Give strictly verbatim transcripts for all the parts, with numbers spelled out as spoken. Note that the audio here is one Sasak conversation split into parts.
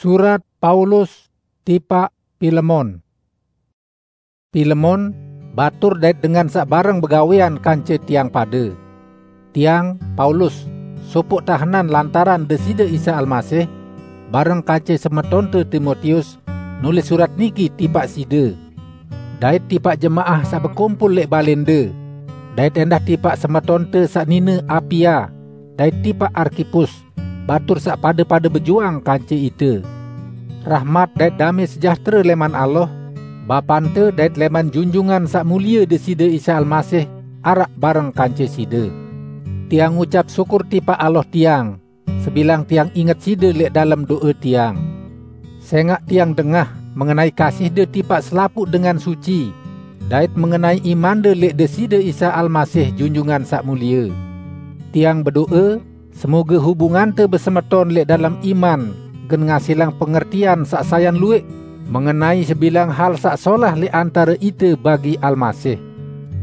Surat Paulus tipaq Pilemon. Pilemon, batur dait dengan saq bareng begawean kance tiang pade. Tiang, Paulus, sopoq tahenan lantaran Deside Isa Almasih, bareng kance semetonte Timotius, nulis surat niki tipaq side, dait tipaq jemaah saq bekumpul leq balende, dait endah tipaq semetonte saq nine Apia, dait tipaq Arkipus, batur saq pade-pade bejuang kance ite. Rahmat dait dame sejahtere leman Allah, Bapante, dait leman Junjungan Saq Mulie Deside Isa Almasih, araq bareng kance side. Tiang ngucap syukur tipaq Allah tiang, sebilang tiang inget side leq dalem do'e tiang. Sengaq tiang dengah mengenai kasihde tipaq selapuq dengan suci, dait mengenai imande leq Deside Isa Almasih, Junjungan Saq Mulie. Tiang bedo'e, semoge hubungante besemeton leq dalem iman gen ngasilang pengertian saq sayan lueq mengenai sebilang hal saq solah leq antare ite bagi Almasih.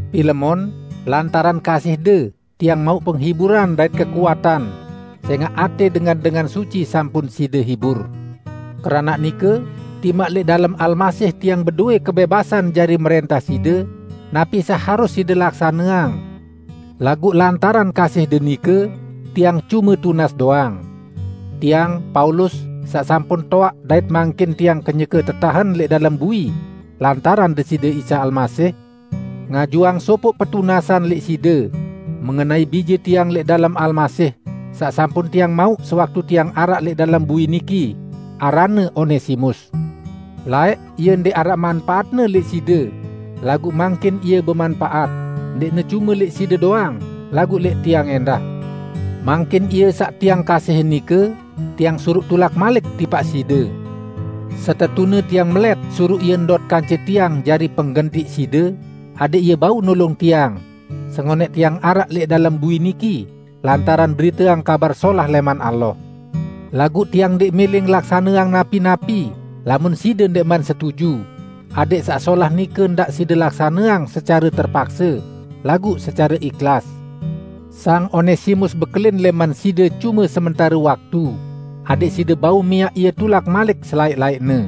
Pilemon, lantaran kasihde, tiang mauq penghiburan dait kekuatan, sengaq ate dengan-dengan suci sampun side hibur. Keranaq nike, timaq leq dalem Almasih tiang bedowe kebebasan jari merentah side, napi saq harus side laksaneang. Laguq lantaran kasihde nike, tiang cume tunas doang. Tiang, Paulus, saq sampun toaq dait mangkin tiang kenyeke tetahen leq dalem bui lantaran Deside Isa Almasih, ngajuang sopoq petunasan leq side mengenai bije tiang leq dalem Almasih, saq sampun tiang mauq sewaktu tiang araq leq dalem bui niki, aranne Onesimus. Laeq ie ndeq araq manpaatne leq side, laguq mangkin ie bemanpaat, ndeqne cume leq side doang, laguq leq tiang endah. Mangkin ie saq tiang kasihin nike, tiang suruq tulak malik tipaq side. Setetune tiang melet suruq ie ndot kance tiang jari penggentiq side, adẽq ie bau nulung tiang, sengonẽq tiang araq leq dalem bui niki, lantaran beriteang Kabar Solah leman Allah. Laguq tiang ndeq mele ngelaksaneang napi-napi, lamun side ndeqman setuju, adẽq saq solah nike ndaq side laksaneang secare terpakse, laguq secare ikhlas. Sang Onesimus bekelin leman side cume sementare waktu, adẽq side bau miaq ie tulak malik selaeq-laeqne.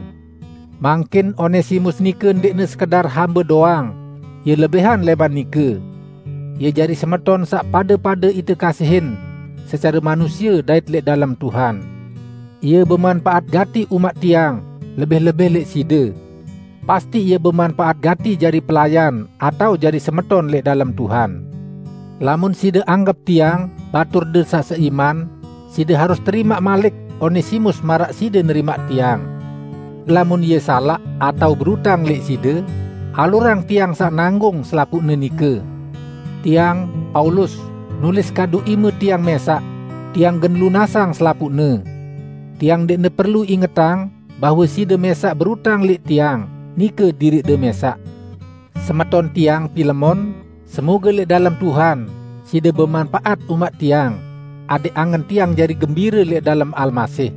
Mangkin Onesimus nike ndeqne sekedar hambe doang, ie lebihan leman nike. Ie jari semeton saq pade-pade ite kasihin, secare manusie dait leq dalem Tuhan. Ie bemanpaat gati umaq tiang, lebih-lebih leq side. Pasti ie bemanpaat gati jari pelayan atao jari semeton leq dalem Tuhan. Lamun side anggep tiang baturde saq seiman, side harus terimaq malik Onesimus maraq side nerimaq tiang. Lamun ie salaq atao berutang leq side, alurang tiang saq nanggung selapuqne nike. Tiang, Paulus, nulis kadu ime tiang mesaq, tiang gen lunasang selapuqne. Tiang ndeqne perlu ingetang bahwe side mesaq berutang leq tiang, nike diriqde mesaq. Semeton tiang Pilemon, semoge leq dalem Tuhan, side bemanpaat umaq tiang, adẽq angen tiang jari gembire leq dalem Almasih.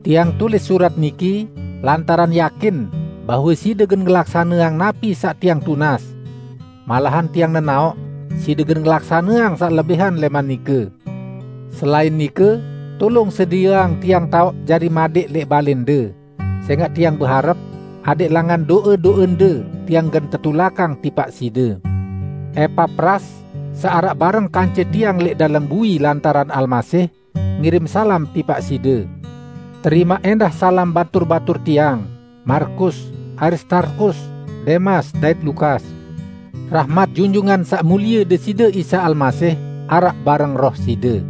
Tiang tulis surat niki lantaran yakin bahwe side gen ngelaksaneang napi saq tiang tunas. Malahan tiang nenaoq, side gen ngelaksaneang saq lebihan leman nike. Selain nike, tulung sedieang tiang taoq jari madeq leq balende, sengaq tiang beharep, adẽq langan do'e-do'ende tiang gen tetulakang tipaq side. Epapras, saq araq bareng kance tiang leq dalem bui lantaran Almasih, ngirim salam tipaq side. Terimaq endah salam batur-batur tiang, Markus, Aristarkus, Demas, dait Lukas. Rahmat Junjungan Saq Mulie Deside Isa Almasih araq bareng roh side.